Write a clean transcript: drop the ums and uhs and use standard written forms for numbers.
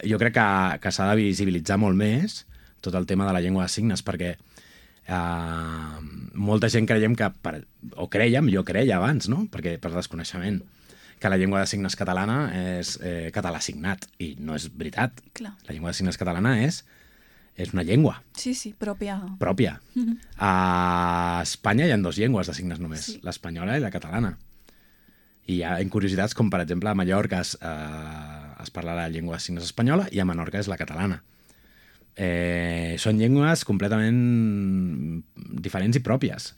jo crec que s'ha de visibilitzar molt més tot el tema de la llengua de signes, perquè molta gent creiem que, jo creia abans, no? Perquè per desconeixement, que la llengua de signes catalana és català signat, i no és veritat. Clar. La llengua de signes catalana és una llengua Sí, pròpia. pròpia. A Espanya hi ha 2 llengües de signes només, Sí. l'espanyola i la catalana. I hi ha curiositats com, per exemple, a Mallorca es parla la llengua de signes espanyola i a Menorca és la catalana. Són llengües completament diferents i pròpies,